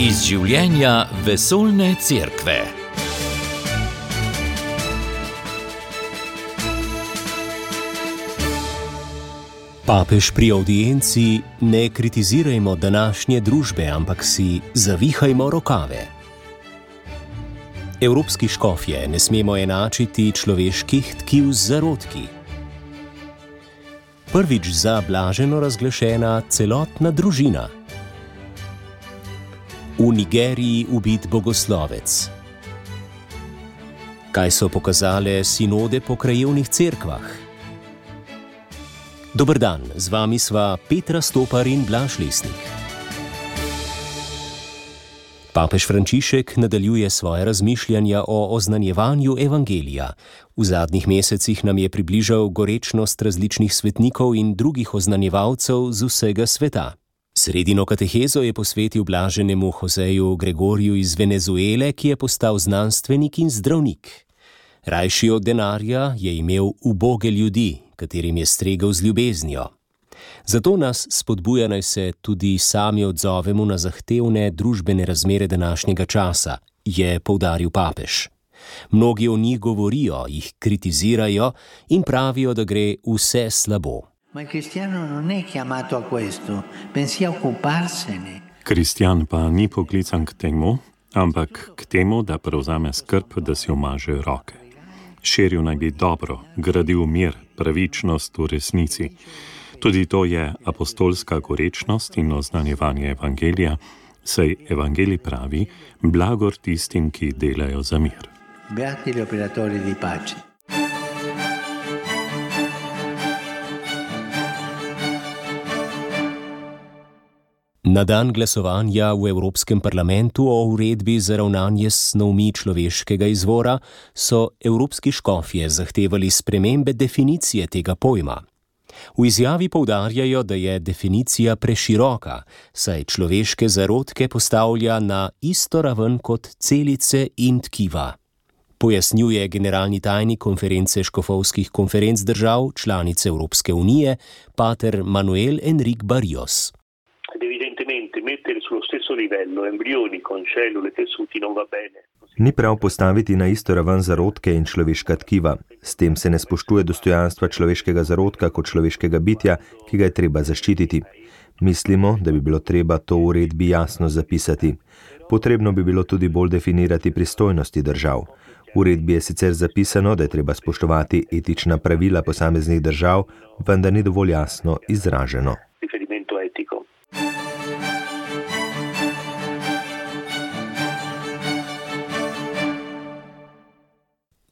Iz življenja vesoljne cerkve. Papež pri avdienci: ne kritizirajmo današnje družbe, ampak si zavihajmo rokave. Evropski škofje ne smemo enačiti človeških tkiv z zarodki. Prvič za blaženo razglašena celotna družina. V Nigeriji ubit bogoslovec. Kaj so pokazale sinode po krajevnih cerkvah? Dober dan, z vami sva Petra Stopar in Blaž Lesnik. Papež Frančišek nadaljuje svoje razmišljanja o oznanjevanju evangelija. V zadnjih mesecih nam je približal gorečnost različnih svetnikov in drugih oznanjevalcev z vsega sveta. Sredino katehezo je posvetil blaženemu Joseju Gregoriju iz Venezuele, ki je postal znanstvenik in zdravnik. Rajši od denarja je imel uboge ljudi, katerim je stregel z ljubeznijo. Zato nas spodbuja, naj se tudi sami odzovemo na zahtevne družbene razmere današnjega časa, je poudaril papež. Mnogi o njih govorijo, jih kritizirajo in pravijo, da gre vse slabo. Kristjan pa ni poklican k temu, ampak k temu, da prevzame skrb, da si omaže roke. Širil naj bi dobro, gradil mir, pravičnost v resnici. Tudi to je apostolska gorečnost in oznanjevanje evangelija, saj evangelij pravi: blagor tistim, ki delajo za mir. Beati gli operatori di pace. Na dan glasovanja v Evropskem parlamentu o uredbi za ravnanje s snovmi človeškega izvora so evropski škofje zahtevali spremembe definicije tega pojma. V izjavi poudarjajo, da je definicija preširoka, saj človeške zarodke postavlja na isto raven kot celice in tkiva. Pojasnjuje generalni tajnik konference škofovskih konferenc držav, članice Evropske unije, pater Manuel Enrique Barrios. Ni prav postaviti na isto raven zarodke in človeška tkiva. S tem se ne spoštuje dostojanstva človeškega zarodka kot človeškega bitja, ki ga je treba zaščititi. Mislimo, da bi bilo treba to v uredbi jasno zapisati. Potrebno bi bilo tudi bolj definirati pristojnosti držav. V uredbi je sicer zapisano, da je treba spoštovati etična pravila posameznih držav, vendar ni dovolj jasno izraženo.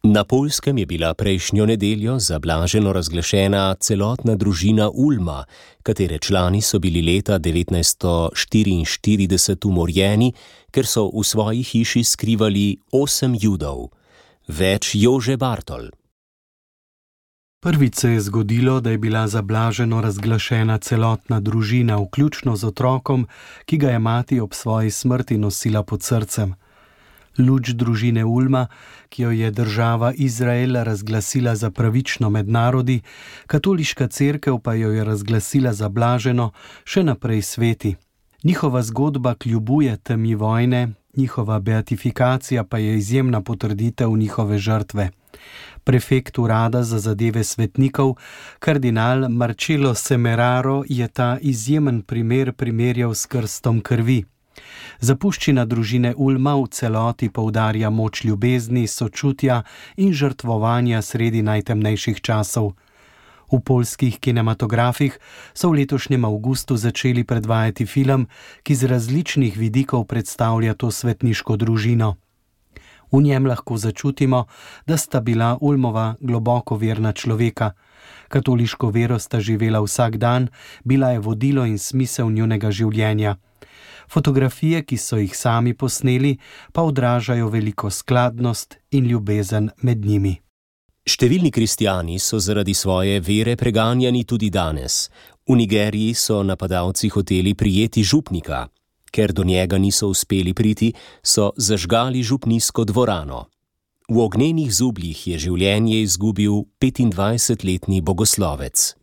Na Poljskem je bila prejšnjo nedeljo za blaženo razglašena celotna družina Ulma, katere člani so bili leta 1944 umorjeni, ker so v svoji hiši skrivali 8 Judov. Več Jože Bartol. Prvič se je zgodilo, da je bila za blaženo razglašena celotna družina, vključno z otrokom, ki ga je mati ob svoji smrti nosila pod srcem. Luč družine Ulma, ki jo je država Izrael razglasila za pravično med narodi, katoliška cerkev pa jo je razglasila za blaženo, še naprej sveti. Njihova zgodba kljubuje temi vojne, njihova beatifikacija pa je izjemna potrditev njihove žrtve. Prefekt urada za zadeve svetnikov, kardinal Marcello Semeraro, je ta izjemen primer primerjal s krstom krvi. Zapuščina družine Ulma v celoti poudarja moč ljubezni, sočutja in žrtvovanja sredi najtemnejših časov. V poljskih kinematografih so v letošnjem avgustu začeli predvajati film, ki z različnih vidikov predstavlja to svetniško družino. V njem lahko začutimo, da sta bila Ulmova globoko verna človeka. Katoliško vero sta živela vsak dan, bila je vodilo in smisel njunega življenja. Fotografije, ki so jih sami posneli, pa odražajo veliko skladnost in ljubezen med njimi. Številni kristjani so zaradi svoje vere preganjani tudi danes. V Nigeriji so napadalci hoteli prijeti župnika. Ker do njega niso uspeli priti, so zažgali župnijsko dvorano. V ognjenih zubljih je življenje izgubil 25-letni bogoslovec.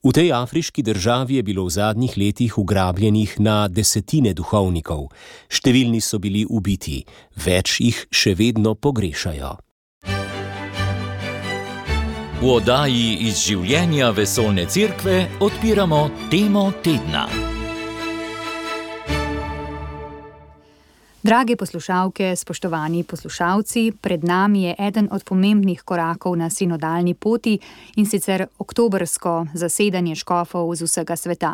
V tej afriški državi je bilo v zadnjih letih ugrabljenih na desetine duhovnikov. Številni so bili ubiti, več jih še vedno pogrešajo. V oddaji iz življenja vesoljne cerkve odpiramo temo tedna. Drage poslušalke, spoštovani poslušalci, pred nami je eden od pomembnih korakov na sinodalni poti, in sicer oktobrsko zasedanje škofov z vsega sveta.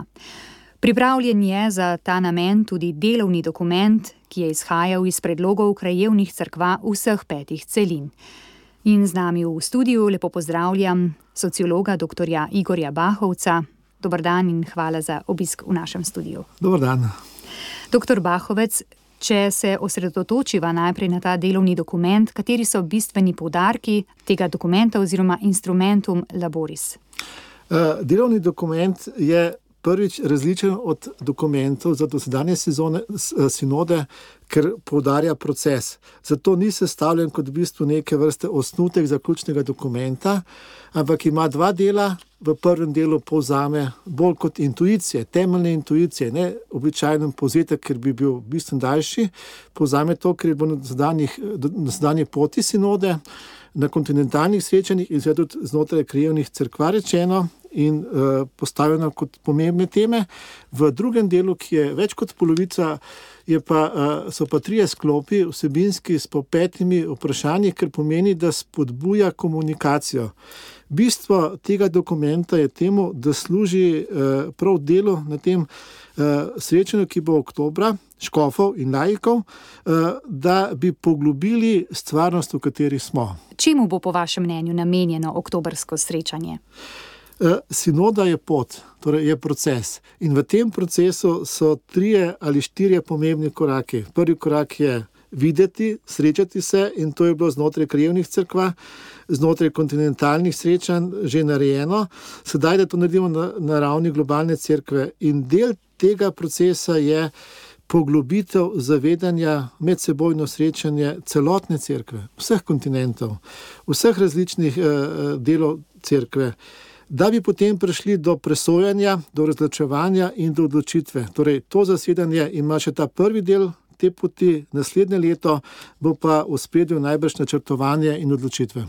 Pripravljen je za ta namen tudi delovni dokument, ki je izhajal iz predlogov krajevnih cerkva vseh 5 celin. In z nami v studiu lepo pozdravljam sociologa dr. Igorja Bahovca. Dober dan in hvala za obisk v našem studiu. Dober dan. Dr. Bahovec, če se osredotočiva najprej na ta delovni dokument, kateri so bistveni poudarki tega dokumenta oziroma instrumentum laboris? Delovni dokument je prvič različen od dokumentov za dosedanje sinode, ker poudarja proces. Zato ni sestavljen kot v bistvu neke vrste osnutek zaključnega dokumenta, ampak ima 2 dela. V prvem delu povzame bolj kot intuicije, temeljne intuicije, ne običajno povzetek, ker bi bil bistveno daljši. Povzame to, ker je bilo na sedanji poti sinode, na kontinentalnih srečanjih in seveda tudi znotraj krajevnih cerkva rečeno in postavljeno kot pomembne teme. V drugem delu, ki je več kot polovica, so pa 3 sklopi vsebinski s po 5 vprašanji, ker pomeni, da spodbuja komunikacijo. Bistvo tega dokumenta je temu, da služi prav delu na tem srečanju, ki bo oktobra, škofov in laikov, da bi poglobili stvarnost, v kateri smo. Čemu bo po vašem mnenju namenjeno oktobrsko srečanje? Sinoda je pot, torej je proces. In v tem procesu so 3 ali 4 pomembni koraki. Prvi korak je videti, srečati se, in to je bilo znotraj krajevnih cerkva, znotraj kontinentalnih srečanj že narejeno. Sedaj, da to naredimo na ravni globalne cerkve. In del tega procesa je poglobitev zavedanja, medsebojno srečanje celotne cerkve, vseh kontinentov, vseh različnih delov cerkve, da bi potem prišli do presojanja, do razločevanja in do odločitve. Torej, to zasedanje ima še ta prvi del te poti, naslednje leto bo pa v ospredju najbrž načrtovanje in odločitve.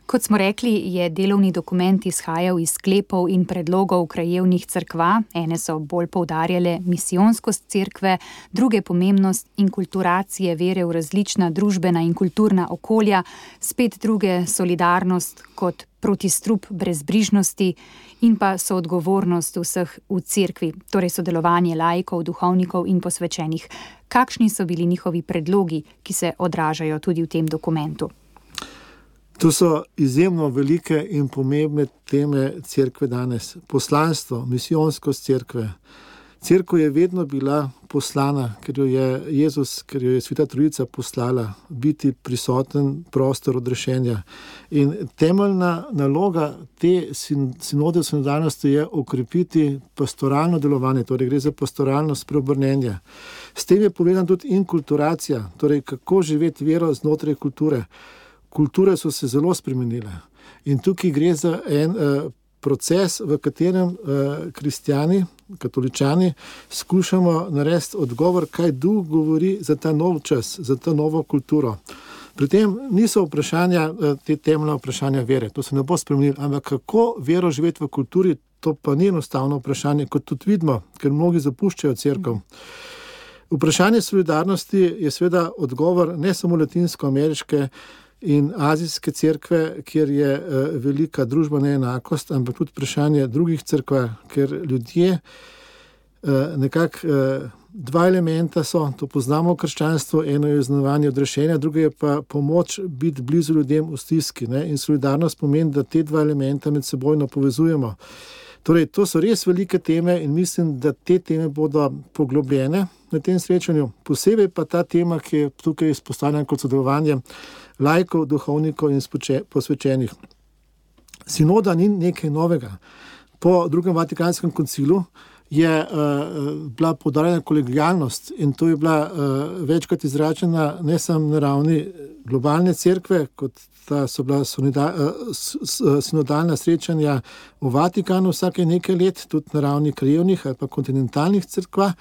Kot smo rekli, je delovni dokument izhajal iz sklepov in predlogov krajevnih cerkva. Ene so bolj poudarjale misijonskost cerkve, druge pomembnost inkulturacije vere v različna družbena in kulturna okolja, spet druge solidarnost kot protistrup brezbrižnosti in pa soodgovornost vseh v cerkvi, torej sodelovanje laikov, duhovnikov in posvečenih. Kakšni so bili njihovi predlogi, ki se odražajo tudi v tem dokumentu? To so izjemno velike in pomembne teme cerkve danes. Poslanstvo, misijonskost cerkve. Cerkev je vedno bila poslana, ker jo je Jezus, ker jo je Sveta Trojica poslala, biti prisoten prostor odrešenja. In temeljna naloga te sinode sinodalnosti je okrepiti pastoralno delovanje, torej gre za pastoralno spreobrnenje. S tem je povezana tudi inkulturacija, torej kako živeti vero znotraj kulture. Kulture so se zelo spremenile in tukaj gre za en proces, v katerem kristjani, katoličani skušamo narediti odgovor, kaj Duh govori za ta nov čas, za ta novo kulturo. Pri tem niso vprašanja, te temeljne vprašanja vere, to se ne bo spremenilo, ampak kako vero živeti v kulturi, to pa ni enostavno vprašanje, kot tudi vidimo, ker mnogi zapuščajo cerkev. Vprašanje solidarnosti je seveda odgovor ne samo latinsko-ameriške in azijske cerkve, kjer je velika družba neenakost, ampak tudi vprašanje drugih cerkva, ker ljudje nekako 2 elementa so, to poznamo v krščanstvu, eno je izznavanje odrešenja, drugo je pa pomoč biti blizu ljudem v stiski, ne? In solidarnost pomeni, da te 2 elementa med sebojno povezujemo. Torej, to so res velike teme in mislim, da te teme bodo poglobljene na tem srečanju. Posebej pa ta tema, ki je tukaj izpostavljena kot sodelovanje laikov, duhovnikov in posvečenih. Sinoda ni nekaj novega. Po drugem Vatikanskem koncilu je bila poudarjena kolegialnost in to je bila večkrat izračena ne samo na ravni globalne cerkve, kot so bila sinodalna srečanja v Vatikanu vsake nekaj let, tudi na ravni krajevnih ali pa kontinentalnih cerkva.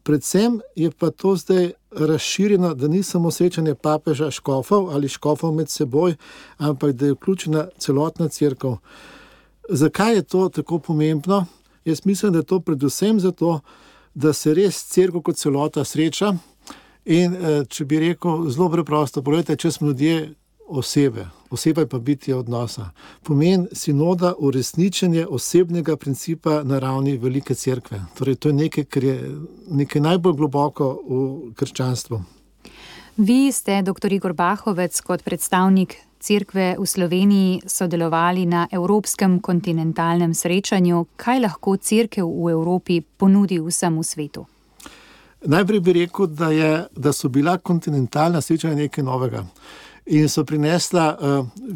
Predvsem je pa to zdaj razširjeno, da ni samo srečanje papeža škofov ali škofov med seboj, ampak da je vključena celotna cerkev. Zakaj je to tako pomembno? Jaz mislim, da je to predvsem zato, da se res cerkev kot celota sreča in če bi rekel zelo preprosto, pogledajte, če smo ljudje osebe je pa bitje odnosa. Pomen sinoda uresničenje osebnega principa na ravni velike cerkve. Torej, to je nekaj, kar je nekaj najbolj globoko v krščanstvu. Vi ste, dr. Igor Bahovec, kot predstavnik cerkve v Sloveniji sodelovali na Evropskem kontinentalnem srečanju. Kaj lahko cerkev v Evropi ponudi vsemu svetu? Najprej bi rekel, da so bila kontinentalna srečanja nekaj novega in so prinesla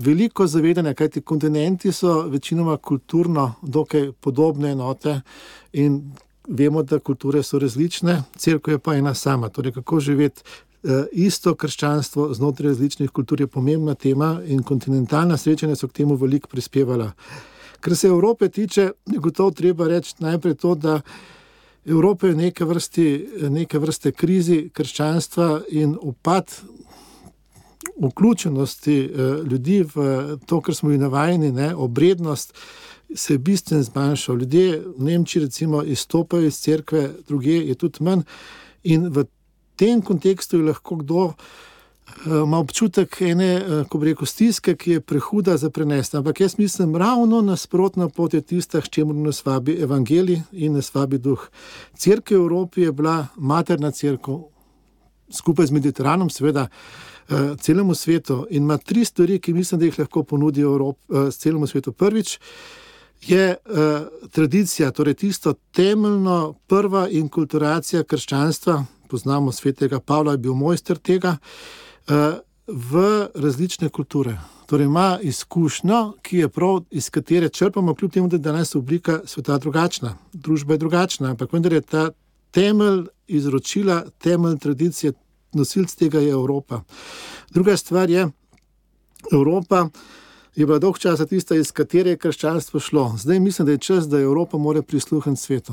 veliko zavedanja, kajti kontinenti so večinoma kulturno dokaj podobne enote in vemo, da kulture so različne, cerkev je pa ena sama. Torej, kako živeti isto krščanstvo znotraj različnih kultur je pomembna tema in kontinentalna srečanja so k temu veliko prispevala. Kar se Evrope tiče, je gotovo treba reči najprej to, da Evropa je neke vrste krizi krščanstva in upad vključenosti ljudi v to, kar smo jih navajeni, obrednost se je bistveno zmanjšal. Ljudje v Nemčiji recimo izstopajo iz cerkve, drugje je tudi manj in v tem kontekstu je lahko kdo ima občutek ene, ko bi rekel, stiske, ki je prehuda za prenesti. Ampak jaz mislim, ravno nasprotna pot je tista, s čemu nas vabi evangelij in nas vabi duh. Cerkev v Evropi je bila materna cerkev, skupaj z Mediteranom, seveda, celemu svetu in ima 3 stvari, ki mislim, da jih lahko ponudi celemu svetu. Prvič je tradicija, torej tisto temeljno prva inkulturacija krščanstva, poznamo svetega Pavla, je bil mojster tega, v različne kulture. Torej ima izkušnjo, ki je prav, iz katere črpamo, kljub temu, da je danes oblika sveta drugačna, družba je drugačna, ampak vendar je ta temelj izročila, temelj tradicije, nosilc tega je Evropa. Druga stvar je, Evropa je bila dolg časa tista, iz katere je krščanstvo šlo. Zdaj mislim, da je čas, da Evropa mora prisluhniti svetu.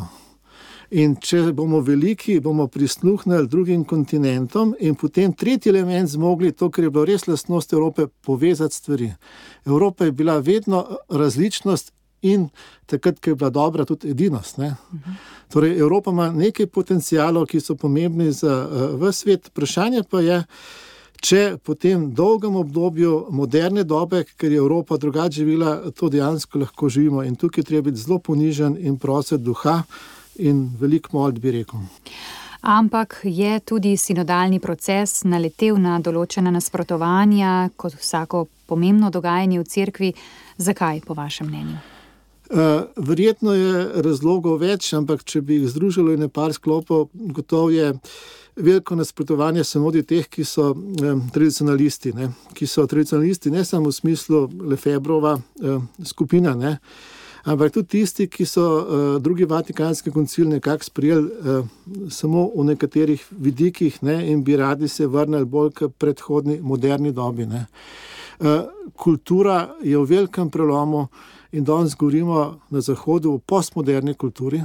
In če bomo veliki, bomo prisluhnili drugim kontinentom in potem tretji element zmogli to, kar je bilo res lastnost Evrope, povezati stvari. Evropa je bila vedno različnost in takrat, ko je bila dobra, tudi edinost. Torej, Evropa ima nekaj potencialov, ki so pomembni za ves svet. Vprašanje pa je, če po tem dolgem obdobju moderne dobe, ker je Evropa drugače živela, to dejansko lahko živimo. In tukaj treba biti zelo ponižen in prositi duha in veliko molit, bi rekel. Ampak je tudi sinodalni proces naletel na določena nasprotovanja, kot vsako pomembno dogajanje v cerkvi. Zakaj, po vašem mnenju? Verjetno je razlogov več, ampak če bi jih združilo in par sklopov, gotovo je veliko nasprotovanje sinodi teh, ki so tradicionalisti, ki so tradicionalisti ne samo v smislu Lefebrova skupina, ampak tudi tisti, ki so drugi vatikanski koncil nekako sprejeli samo v nekaterih vidikih in bi radi se vrnili bolj k predhodni moderni dobi. Kultura je v velikem prelomu in danes govorimo na Zahodu o postmoderni kulturi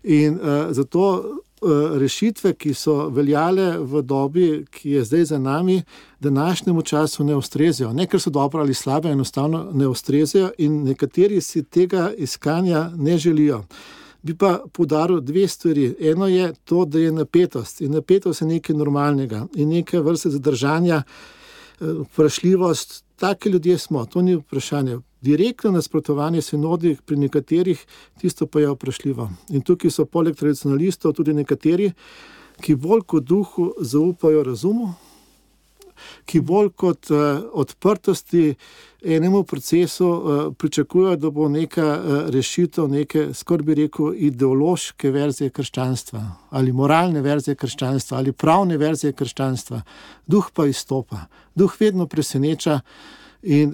in zato rešitve, ki so veljale v dobi, ki je zdaj za nami, današnjemu času ne ustrezajo. Ne, ker so dobro ali slabe, enostavno ne ustrezajo in nekateri si tega iskanja ne želijo. Bi pa poudaril 2 stvari. Eno je to, da je napetost in napetost je nekaj normalnega in nekaj vrste zadržanja, vprašljivost, taki ljudje smo, to ni vprašanje. Direktno nasprotovanje sinodi pri nekaterih, tisto pa je vprašljivo. In tukaj so poleg tradicionalistov tudi nekateri, ki bolj kot duhu zaupajo razumu, ki bolj kot odprtosti enemu procesu pričakujejo, da bo neka rešitev, neke, skoraj bi rekel, ideološke verzije krščanstva ali moralne verzije krščanstva ali pravne verzije krščanstva. Duh pa izstopa. Duh vedno preseneča in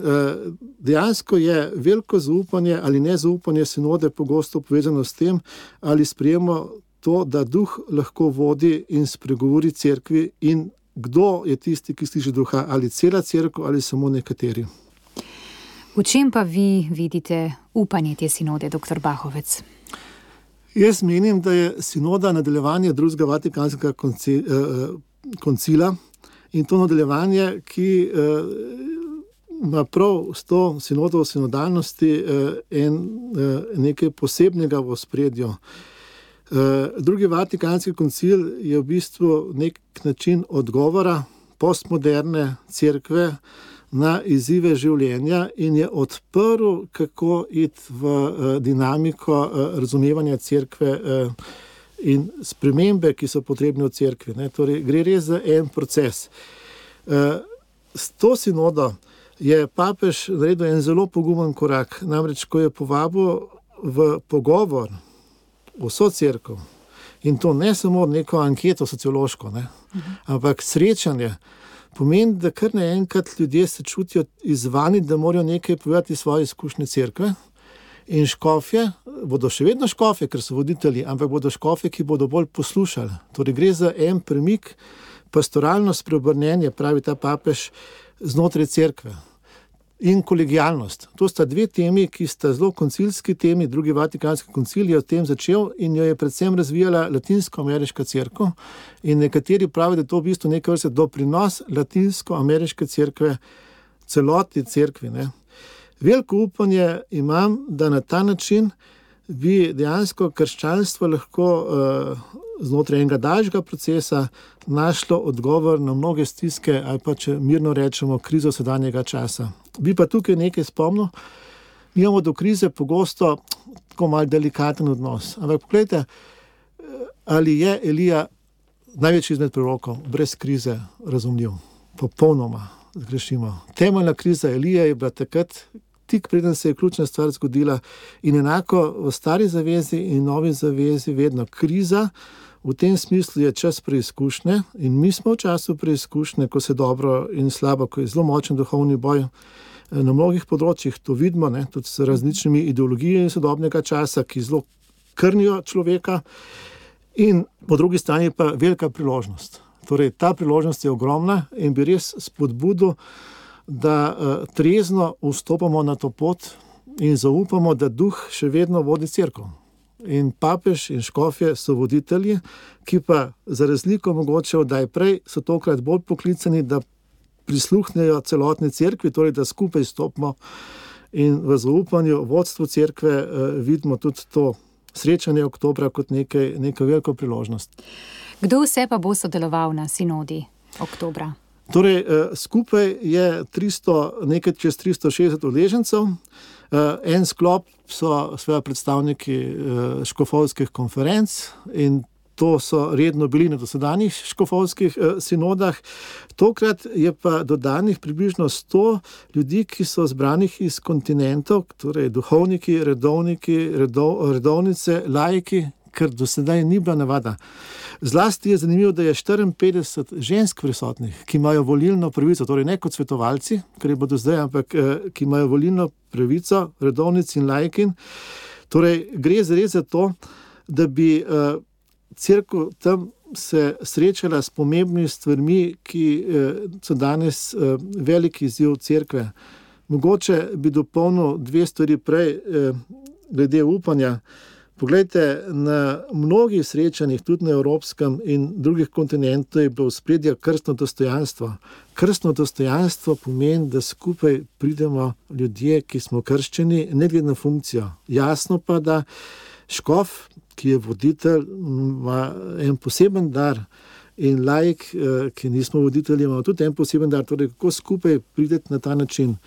dejansko je veliko zaupanje ali nezaupanje sinode pogosto povezano s tem, ali sprejemo to, da duh lahko vodi in spregovori cerkvi in kdo je tisti, ki sliši duha, ali cela cerkev ali samo nekateri. V čem pa vi vidite upanje te sinode, dr. Bahovec? Jaz menim, da je sinoda nadaljevanje drugega Vatikanskega koncila in to nadaljevanje, ki ima prav s to sinodo v sinodalnosti nekaj posebnega v ospredju. Drugi Vatikanski koncil je v bistvu nek način odgovora postmoderne cerkve na izzive življenja in je odprl, kako iti v dinamiko razumevanja cerkve in spremembe, ki so potrebne v cerkvi. Torej, gre res za en proces. S to sinodo je papež naredil en zelo pogumen korak, namreč ko je povabil v pogovor vso cerkev, in to ne samo neko anketo sociološko, ampak srečanje, pomeni, da kar naenkrat ljudje se čutijo izzvani, da morajo nekaj povedati svoje izkušnje cerkve, in škofje bodo še vedno škofje, ker so voditelji, ampak bodo škofje, ki bodo bolj poslušali. Torej gre za en premik, pastoralno spreobrnenje, pravi ta papež, znotraj cerkve. In kolegijalnost. To sta dve temi, ki sta zelo koncilski temi. Drugi Vatikanski koncil je o tem začel in jo je predvsem razvijala latinsko-ameriška cerkev. In nekateri pravijo, da je to v bistvu neka vrsta doprinos latinsko-ameriške cerkve celotni cerkvi. Veliko upanje imam, da na ta način bi dejansko krščanstvo lahko znotraj enega daljšega procesa našlo odgovor na mnoge stiske ali pa, če mirno rečemo, krizo sedanjega časa. Bi pa tukaj nekaj spomnil, mi imamo do krize pogosto tako malo delikaten odnos. Ampak pogledajte, ali je Elija največji izmed prorokov brez krize razumljiv? Popolnoma zgrešimo. Temeljna kriza Elije je bila takrat, tik preden se je ključna stvar zgodila, in enako v stari zavezi in novi zavezi vedno kriza. V tem smislu je čas preizkušnje in mi smo v času preizkušnje, ko se dobro in slabo, ko je zelo močen duhovni boj na mnogih področjih, to vidimo, tudi s različnimi ideologijami sodobnega časa, ki zelo krnijo človeka, in po drugi strani pa velika priložnost. Torej, ta priložnost je ogromna in bi res spodbudil, da trezno vstopamo na to pot in zaupamo, da duh še vedno vodi cerkev. In papež in škofje so voditelji, ki pa za razliko mogoče odaj prej so tokrat bolj poklicani, da prisluhnejo celotni cerkvi, torej da skupaj stopimo in v zaupanju vodstvu cerkve vidimo tudi to srečanje oktobra kot neko veliko priložnost. Kdo vse pa bo sodeloval na sinodi oktobra? Torej, skupaj je nekaj čez 360 udeležencev. En sklop so seveda predstavniki škofovskih konferenc in to so redno bili na dosedanjih škofovskih sinodah. Tokrat je pa dodanih približno 100 ljudi, ki so zbranih iz kontinentov, torej duhovniki, redovnice, laiki, ker do sedaj ni bila navada. Zlasti je zanimivo, da je 54 žensk prisotnih, ki imajo volilno pravico, torej ne kot svetovalci, kar je bodo zdaj, ampak ki imajo volilno pravico, redovnic in laikin. Torej, gre res za to, da bi cerkev tam se srečala s pomembnimi stvarmi, ki so danes veliki izziv cerkve. Mogoče bi dopolnil 2 stvari prej glede upanja. Poglejte, na mnogih srečanjih, tudi na evropskem in drugih kontinentov, je bilo v spredju krstno dostojanstvo. Krstno dostojanstvo pomeni, da skupaj pridemo ljudje, ki smo krščeni, ne glede na funkcijo. Jasno pa, da škof, ki je voditelj, ima en poseben dar, in laik, ki nismo voditelji, ima tudi en poseben dar, torej kako skupaj prideti na ta način.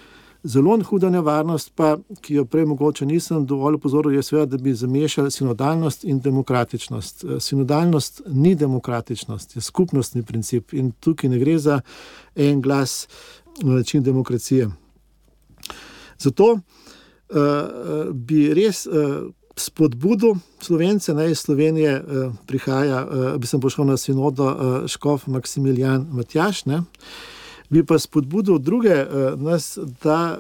Zelo huda nevarnost pa, ki jo prej mogoče nisem dovolj opozoril, je seveda, da bi zamešali sinodalnost in demokratičnost. Sinodalnost ni demokratičnost, je skupnostni princip in tukaj ne gre za en glas na način demokracije. Zato bi res spodbudil Slovence, naj iz Slovenije prihaja, bi sem pošel na sinodo škof Maksimilijan Matjaž, bi pa spodbudil druge nas, da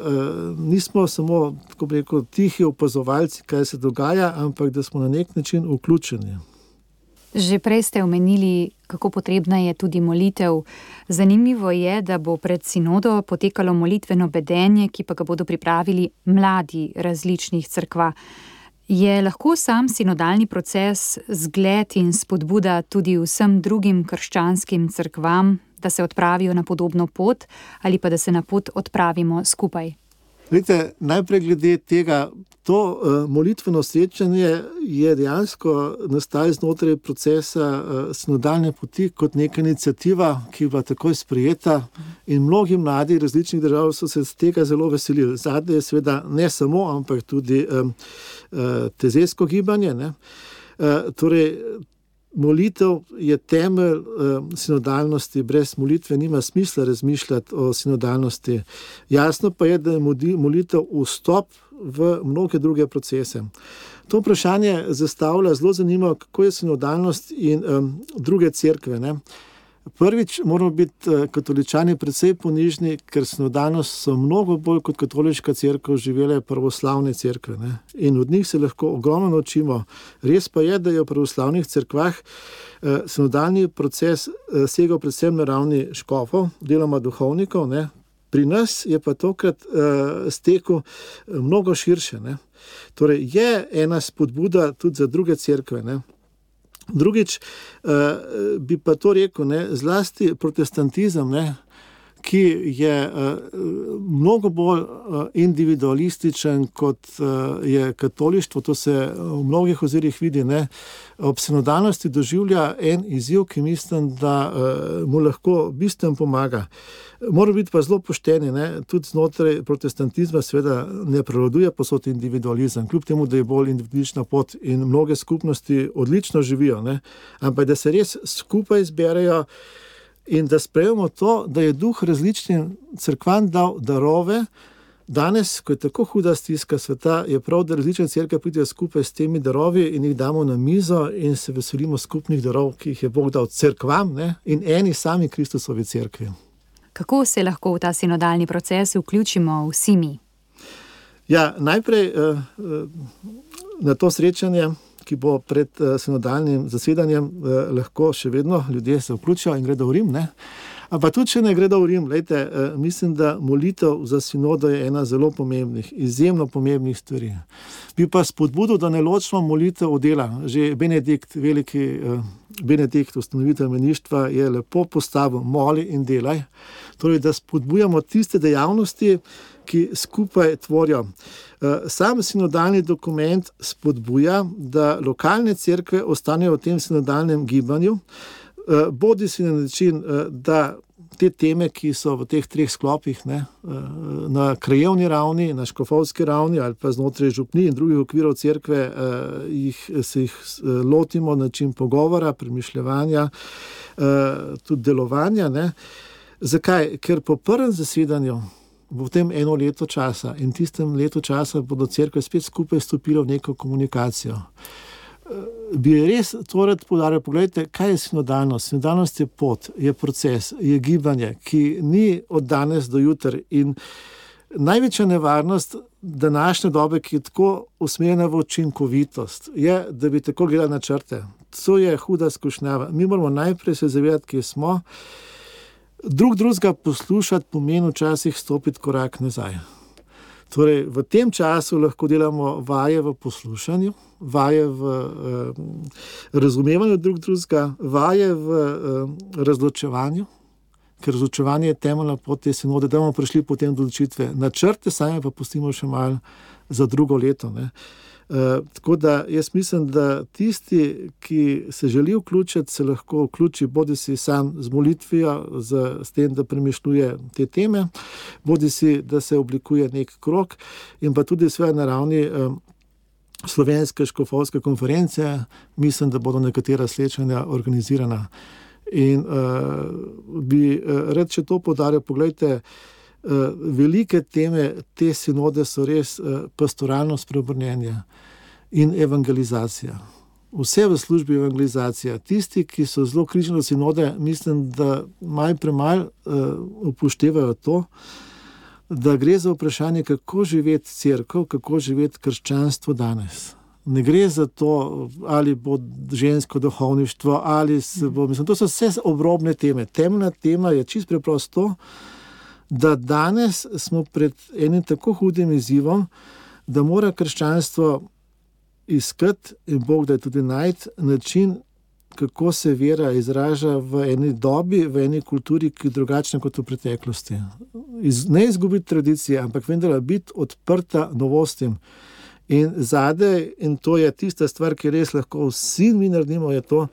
nismo samo, tako bi rekel, tihi opazovalci, kaj se dogaja, ampak da smo na nek način vključeni. Že prej ste omenili, kako potrebna je tudi molitev. Zanimivo je, da bo pred sinodo potekalo molitveno bedenje, ki pa ga bodo pripravili mladi različnih cerkva. Je lahko sam sinodalni proces zgled in spodbuda tudi vsem drugim krščanskim cerkvam, da se odpravijo na podobno pot ali pa da se na pot odpravimo skupaj? Vidite, najprej glede tega, to molitveno srečanje je dejansko nastalo znotraj procesa sinodalne poti kot neka iniciativa, ki je bila takoj sprejeta in mnogi mladi različnih držav so se z tega zelo veselili. Zadnje je seveda ne samo, ampak tudi tezejsko gibanje, ne. Torej, molitev je temelj sinodalnosti, brez molitve nima smisla razmišljati o sinodalnosti. Jasno pa je, da je molitev vstop v mnoge druge procese. To vprašanje zastavlja zelo zanimivo, kako je sinodalnost in druge cerkve, ne. Prvič moramo biti katoličani precej ponižni, ker sinodalnost so mnogo bolj kot katoliška cerkev živele pravoslavne cerkve, ne. In od njih se lahko ogromno naučimo. Res pa je, da je v pravoslavnih cerkvah sinodalni proces segal predvsem na ravni škofov, deloma duhovnikov, ne. Pri nas je pa tokrat stekel mnogo širše, ne. Torej je ena spodbuda tudi za druge cerkve, ne. Drugič, bi pa to rekel, ne, zlasti protestantizem, ne, ki je mnogo bolj individualističen, kot je katolištvo, to se v mnogih ozirih vidi, ne, ob sinodalnosti doživlja en izziv, ki mislim, da mu lahko bistveno pomaga. Mora biti pa zelo pošteni, ne, tudi znotraj protestantizma seveda ne prevladuje povsod individualizem, kljub temu, da je bolj individualistična pot in mnoge skupnosti odlično živijo, ne, ampak da se res skupaj zberejo in da sprejmemo to, da je Duh različnim cerkvam dal darove. Danes, ko je tako huda stiska sveta, je prav, da različne cerkve pridejo skupaj s temi darovi in jih damo na mizo in se veselimo skupnih darov, ki jih je Bog dal cerkvam, ne, in eni sami Kristusovi cerkvi. Kako se lahko v ta sinodalni proces vključimo vsi mi? Ja, najprej na to srečanje, ki bo pred sinodalnim zasedanjem, lahko še vedno ljudje se vključijo in gredo v Rim, ne. Ampak tudi, če ne gredo v Rim, glejte, mislim, da molitev za sinodo je ena zelo pomembnih, izjemno pomembnih stvari. Bi pa spodbudil, da ne ločimo molitev od dela. Že Benedikt, veliki Benedikt, ustanovitelj meništva, je lepo postavil: moli in delaj. Torej, da spodbujamo tiste dejavnosti, ki skupaj tvorijo. Sam sinodalni dokument spodbuja, da lokalne cerkve ostanejo v tem sinodalnem gibanju, bodi si na način, da te teme, ki so v teh treh sklopih, ne, na krajevni ravni, na škofovski ravni ali pa znotraj župnij in drugih okvirov cerkve, se jih lotimo na način pogovora, premišljevanja, tudi delovanja, ne. Zakaj? Ker po prvem zasedanju v tem eno leto časa in tistem letu časa bodo cerkve spet skupaj stopile v neko komunikacijo. Bi res to rad poudaril, pogledajte, kaj je sinodalnost. Sinodalnost je pot, je proces, je gibanje, ki ni od danes do jutri. In največja nevarnost današnje dobe, ki je tako usmerjena v učinkovitost, je, da bi tako gledali na črte. To je huda skušnjava. Mi moramo najprej se zavedati, kje smo. Drugega poslušati pomeni včasih stopiti korak nazaj. Torej, v tem času lahko delamo vaje v poslušanju, vaje v razumevanju drugega, vaje v razločevanju, ker razločevanje je temeljna pot te sinode, da bomo prišli potem do odločitve. Načrte same pa pustimo še malo za drugo leto, ne. Tako da jaz mislim, da tisti, ki se želi vključiti, se lahko vključi bodisi sam z molitvijo, s tem, da premišljuje te teme, bodisi, da se oblikuje nek krog in pa tudi sve na ravni slovenske škofovske konference, mislim, da bodo nekatera srečanja organizirana. In bi rad še to poudaril, pogledajte, velike teme te sinode so res pastoralno spreobrnjenje in evangelizacija. Vse v službi evangelizacija. Tisti, ki so zelo kritični do sinode, mislim, da malo premalo upoštevajo to, da gre za vprašanje, kako živeti cerkev, kako živeti krščanstvo danes. Ne gre za to, ali bo žensko duhovništvo, ali se bo, to so vse obrobne teme. Temeljna tema je čisto preprosto, da danes smo pred enim tako hudim izzivom, da mora krščanstvo iskati, in Bog da je tudi najti, način, kako se vera izraža v eni dobi, v eni kulturi, ki je drugačna kot v preteklosti. Ne izgubiti tradicije, ampak vendar biti odprta novostim. In zadej, in to je tista stvar, ki res lahko vsi mi naredimo, je to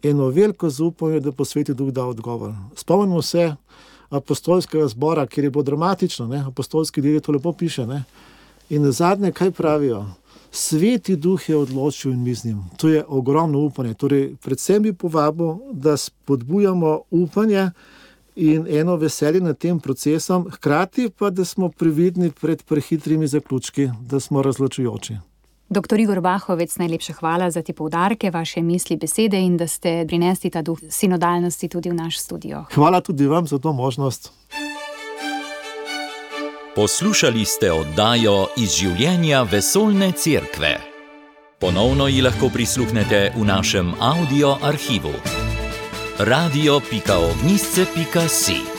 eno veliko zaupanje, da bo Sveti Duh dal odgovor. Spomnimo se apostolskega zbora, kjer je bilo dramatično, ne? Apostolski del to lepo piše. Ne? In na zadnje, kaj pravijo? Sveti Duh je odločil in mi z njim. To je ogromno upanje. Torej, predvsem bi povabil, da spodbujamo upanje in eno veselje nad tem procesom, hkrati pa, da smo previdni pred prehitrimi zaključki, da smo razločujoči. Dr. Igor Bahovec, najlepša hvala za te poudarke, vaše misli, besede in da ste prinesli ta duh sinodalnosti tudi v naš studio. Hvala tudi vam za to možnost. Poslušali ste oddajo Iz življenja vesoljne cerkve. Ponovno ji lahko prisluhnete v našem audio arhivu. radio.ognisce.si